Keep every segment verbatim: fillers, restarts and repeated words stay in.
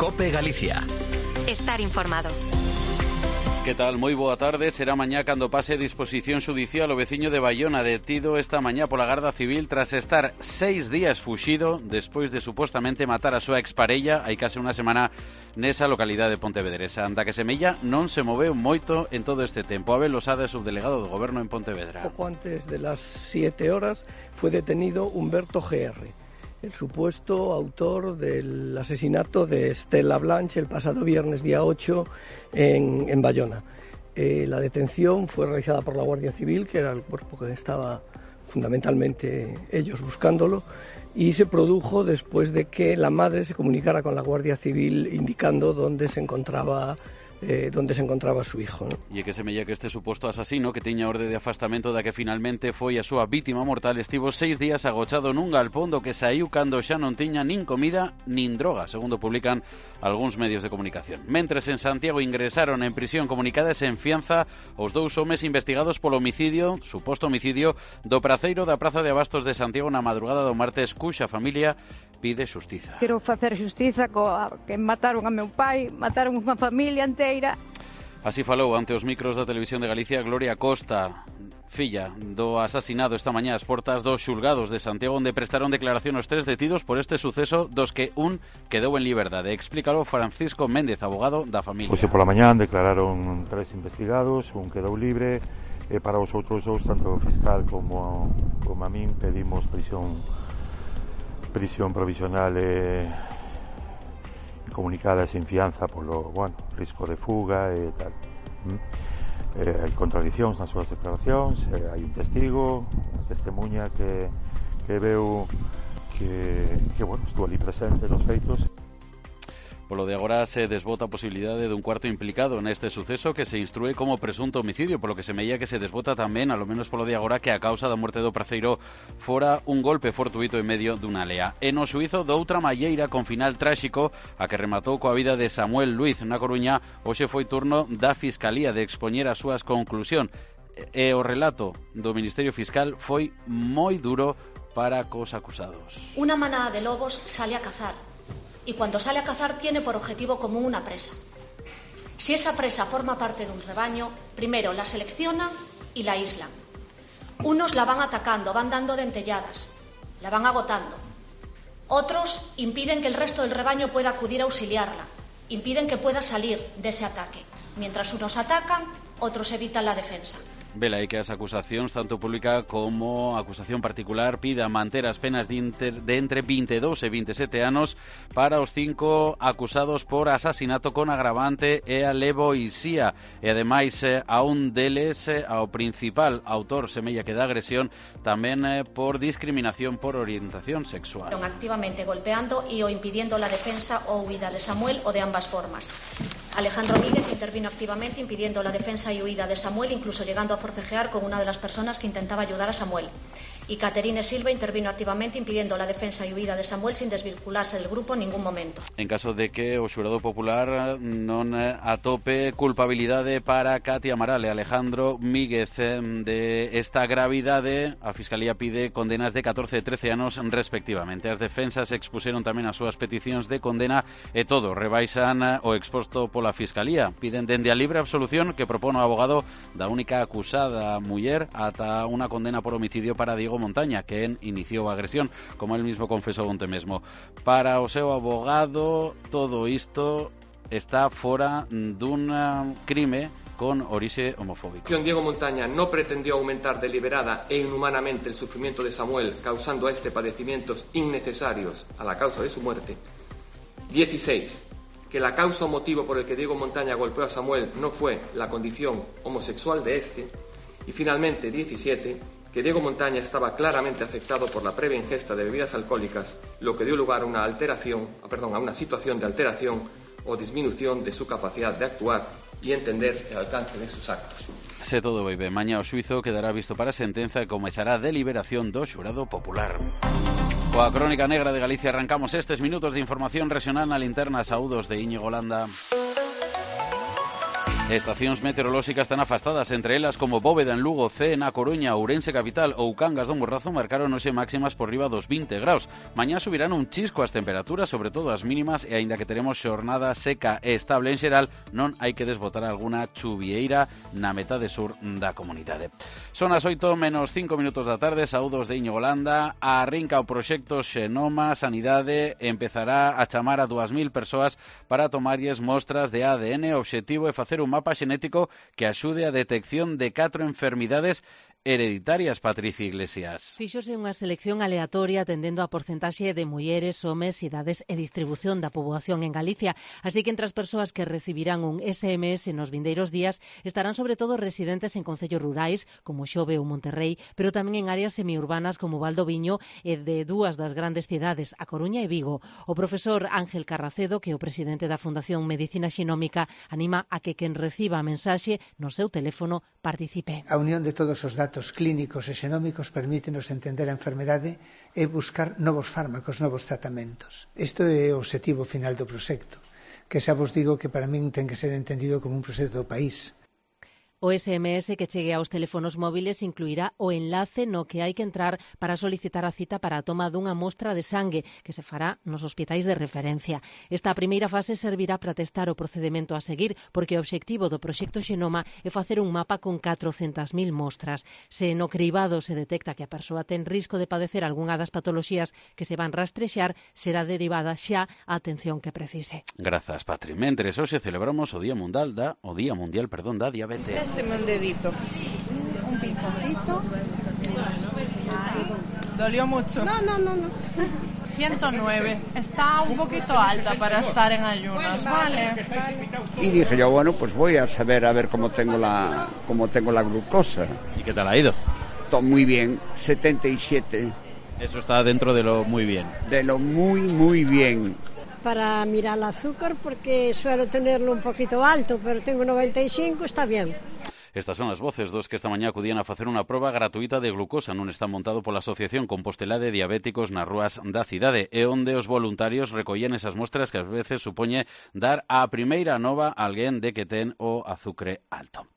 COPE Galicia. Estar informado. Que tal? Moi boa tarde. Será mañá cando pase a disposición xudicial o veciño de Baiona, detido esta mañá pola Garda Civil tras estar seis días fuxido despois de supostamente matar a súa exparella hai case unha semana nesa localidade pontevedresa. Anda que semella non se moveu moito en todo este tempo. Abel Losada, subdelegado do Goberno en Pontevedra. Poco antes de las siete horas fue detenido Humberto G R, el supuesto autor del asesinato de Estela Blanch el pasado viernes día ocho en, en Baiona. Eh, la detención fue realizada por la Guardia Civil, que era el cuerpo que estaba fundamentalmente ellos buscándolo, y se produjo después de que la madre se comunicara con la Guardia Civil indicando dónde se encontraba Eh, donde se encontraba su hijo, ¿no? E que semella que este suposto asasino, que tiña orde de afastamento da que finalmente foi a súa vítima mortal, estivo seis días agochado nun galpón do que saiu cando xa non tiña nin comida nin droga, segundo publican algúns medios de comunicación. Mentres en Santiago ingresaron en prisión comunicadas en fianza os dous homes investigados polo homicidio, suposto homicidio, do praceiro da Praza de Abastos de Santiago na madrugada do martes, cuxa familia pide xustiza. Quero facer xustiza coa que mataron a meu pai, mataron unha familia inteira. Así falou ante os micros da Televisión de Galicia Gloria Costa, filla do asasinado esta mañá ás portas dos xulgados de Santiago, onde prestaron declaración os tres detidos por este suceso, dos que un quedou en liberdade. Explícalo Francisco Méndez, abogado da familia. Hoxe pola mañá declararon tres investigados, un quedou libre, e para os outros dous, tanto o fiscal como, como a min, pedimos prisión prisión provisional e comunicada sin fianza polo, bueno, risco de fuga e tal. ¿Mm? Eh, hai contradicións nas súas declaracións, eh, hai un testigo, unha testemunha que, que veu que, que bueno, estuvo ali presente nos feitos. Polo de agora se desbota a posibilidade dun cuarto implicado neste suceso que se instrúe como presunto homicidio, polo que semella que se desbota tamén, alo menos polo de agora, que a causa da morte do praceiro fora un golpe fortuito en medio dunha lea. E no xuízo doutra malleira con final tráxico, a que rematou coa vida de Samuel Luiz na Coruña, hoxe foi turno da Fiscalía de expoñer as súas conclusións. E o relato do Ministerio Fiscal foi moi duro para cos acusados. Una manada de lobos sale a cazar. Y cuando sale a cazar tiene por objetivo común una presa. Si esa presa forma parte de un rebaño, primero la selecciona y la aíslan. Unos la van atacando, van dando dentelladas, la van agotando. Otros impiden que el resto del rebaño pueda acudir a auxiliarla, impiden que pueda salir de ese ataque. Mientras unos atacan, otros evitan la defensa. Vela aí que as acusacións, tanto pública como acusación particular, pida manter as penas de, inter, de entre vinte e dous e vinte e sete anos para os cinco acusados por asasinato con agravante e alevoisía. E ademais a un deles, ao principal autor semella que da agresión, tamén por discriminación por orientación sexual. Activamente golpeando y o impidiendo la defensa o huida de Samuel o de ambas formas. Alejandro Míguez intervino activamente impidiendo la defensa y huida de Samuel, incluso llegando a forcejear con una de las personas que intentaba ayudar a Samuel. Y Caterine Silva intervino activamente impidiendo la defensa y huida de Samuel sin desvincularse del grupo en ningún momento. En caso de que o xurado popular non atope culpabilidade para Katia Amaral e Alejandro Míguez de esta gravidade, a Fiscalía pide condenas de catorce e trece anos respectivamente. As defensas expuseron tamén as súas peticións de condena e todo rebaixan o exposto pola Fiscalía. Piden dende a libre absolución que propone o abogado da única acusada muller ata unha condena por homicidio para Diego Montaña, que iniciou a agresión, como él mismo confesou onte mesmo. Para o seu abogado, todo isto está fora dun crime con orixe homofóbico. Diego Montaña no pretendió aumentar deliberada e inhumanamente el sufrimiento de Samuel, causando a este padecimientos innecesarios a la causa de su muerte. dieciséis. Que la causa o motivo por el que Diego Montaña golpeó a Samuel no fue la condición homosexual de este. Y finalmente, diecisiete. Que Diego Montaña estaba claramente afectado por la previa ingesta de bebidas alcohólicas, lo que dio lugar a una alteración, perdón, a una situación de alteración o disminución de su capacidad de actuar y entender el alcance de sus actos. Se todo vai ben, mañá o xuízo quedará visto para sentenza e comezará a deliberación do xurado popular. Coa Crónica Negra de Galicia arrancamos estes minutos de información regional na linterna. Saúdos de Íñigo Landa. Estacións meteorolóxicas tan afastadas, entre elas como Bóveda en Lugo, C na Coruña, Ourense capital ou Cangas do Morrazo marcaron hoxe máximas por riba dos vinte graus. Mañá subirán un chisco as temperaturas, sobre todo as mínimas, e aínda que teremos xornada seca e estable en xeral, non hai que desbotar alguna chuvieira na metade sur da comunidade. Son as oito menos cinco minutos da tarde, saúdos de Íñigo Landa. Arrinca o proxecto Xenoma Sanidade, empezará a chamar a dúas mil persoas para tomarlles mostras de A D N. O obxectivo é facer un mapa xenético que axude a detección de catro enfermidades hereditarias. Patricia Iglesias. Fíxose unha selección aleatoria atendendo a porcentaxe de mulleres, homes, idades e distribución da poboación en Galicia, así que entre as persoas que recibirán un S M S nos vindeiros días estarán sobre todo residentes en concellos rurais como Xove ou Monterrei, pero tamén en áreas semiurbanas como Valdoviño e de dúas das grandes cidades, A Coruña e Vigo. O profesor Ángel Carracedo, que é o presidente da Fundación Medicina Xenómica, anima a que quen reciba a mensaxe no seu teléfono participe. A unión de todos os datos clínicos e xenómicos permítenos entender a enfermedade e buscar novos fármacos, novos tratamentos. Isto é o obxectivo final do proxecto, que xa vos digo que para min ten que ser entendido como un proxecto do país. O S M S que chegue aos teléfonos móviles incluirá o enlace no que hai que entrar para solicitar a cita para a toma dunha mostra de sangue que se fará nos hospitais de referencia. Esta primeira fase servirá para testar o procedimento a seguir, porque o obxectivo do proxecto Xenoma é facer un mapa con catrocentas mil mostras. Se no cribado se detecta que a persoa ten risco de padecer algunha das patoloxías que se van rastrexar, será derivada xa a atención que precise. Grazas, Patri. Mentres hoxe celebramos o Día Mundial da o Día Mundial, perdón, da Diabetes. Présteme un dedito, un pinzoncito. ¿Dolió mucho? No, no, no, no. ciento nueve. Está un poquito alta para estar en ayunas, ¿vale? Y dije yo, bueno, pues voy a saber a ver cómo tengo la, cómo tengo la glucosa. ¿Y qué tal ha ido? Todo muy bien, setenta y siete. Eso está dentro de lo muy bien. De lo muy, muy bien. Para mirar el azúcar porque suelo tenerlo un poquito alto, pero tengo noventa y cinco, está bien. Estas son as voces dos que esta mañá acudían a facer unha proba gratuita de glucosa nun stand montado pola Asociación Compostelá de Diabéticos nas rúas da cidade, e onde os voluntarios recollían esas mostras que ás veces supoñe dar a primeira nova a alguén de que ten o azucre alto.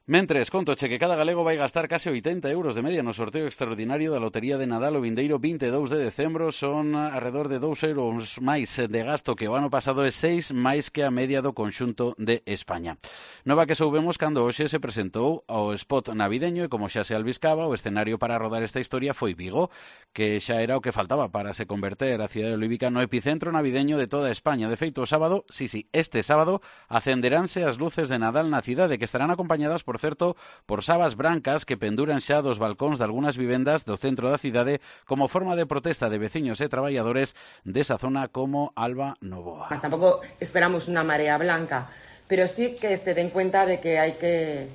Mentres, contoche que cada galego vai gastar case oitenta euros de media no sorteo extraordinario da Lotería de Nadal o vindeiro vinte e dous de decembro. Son alrededor de dous euros máis de gasto que o ano pasado e seis máis que a media do conxunto de España. Nova que soubemos cando hoxe se presentou ao spot navideño e como xa se albiscaba, o escenario para rodar esta historia foi Vigo, que xa era o que faltaba para se converter a cidade olívica no epicentro navideño de toda España. De feito, o sábado, sí, sí, este sábado, acenderánse as luces de Nadal na cidade, que estarán acompañadas por certo, por sabas brancas que penduran xa dos balcóns de algunhas vivendas do centro da cidade como forma de protesta de veciños e traballadores desa zona como Alba Novoa. Mas tampouco esperamos unha marea blanca, pero sí que se den cuenta de que hai que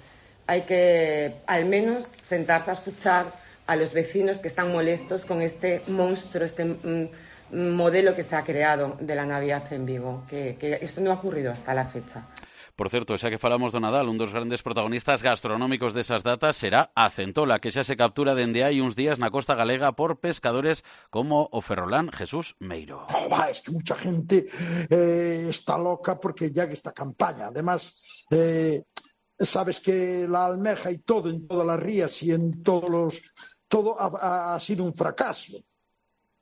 hai que al menos sentarse a escuchar a los vecinos que están molestos con este monstruo, este mm, modelo que se ha creado de la Navidad en Vigo, que, que esto no ha ocurrido hasta la fecha. Por certo, xa que falamos do Nadal, un dos grandes protagonistas gastronómicos desas datas será a centola, que xa se captura dende hai uns días na costa galega por pescadores como o ferrolán Jesús Meiro. Oh, va, es que mucha gente eh, está loca porque ya que esta campaña, además, eh, sabes que la almeja y todo en todas las rías y en todos los... todo ha, ha sido un fracaso.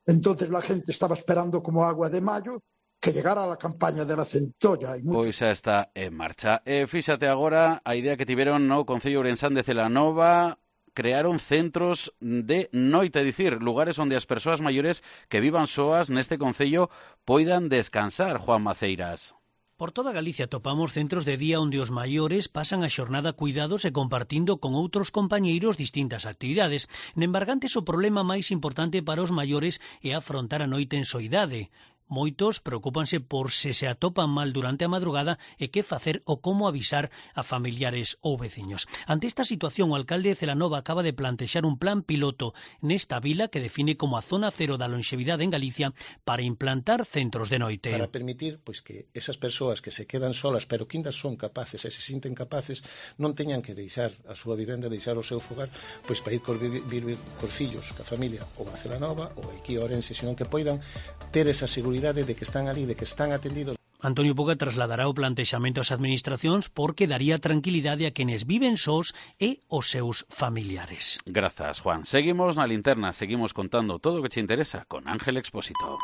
Entonces la gente estaba esperando como agua de mayo que llegara a la campaña de la centolla. Pois xa está en marcha. E fíxate agora a idea que tiveron no Concello Ourensán de Celanova. Crearon centros de noite, é dicir, lugares onde as persoas maiores que vivan soas neste concello poidan descansar. Juan Maceiras. Por toda Galicia topamos centros de día onde os maiores pasan a xornada cuidados e compartindo con outros compañeiros distintas actividades. Nembargantes, o problema máis importante para os maiores é afrontar a noite en soidade. Moitos preocúpanse por se se atopan mal durante a madrugada e que facer ou como avisar a familiares ou veciños. Ante esta situación, o alcalde de Celanova acaba de plantexar un plan piloto nesta vila que define como a zona cero da lonxevidade en Galicia para implantar centros de noite. Para permitir pois, que esas persoas que se quedan solas, pero que ainda son capaces e se sinten capaces, non teñan que deixar a súa vivenda, deixar o seu fogar, pois para ir cor, vivir cor fillos, ca familia, ou a Celanova, ou aquí a Ourense, senón que poidan ter esa seguridade de que están ali, de que están atendidos. Antonio Puga trasladará o plantexamento ás administracións porque daría tranquilidade a quenes viven sós e os seus familiares. Grazas, Juan. Seguimos na linterna, seguimos contando todo o que te interesa con Ángel Expósito.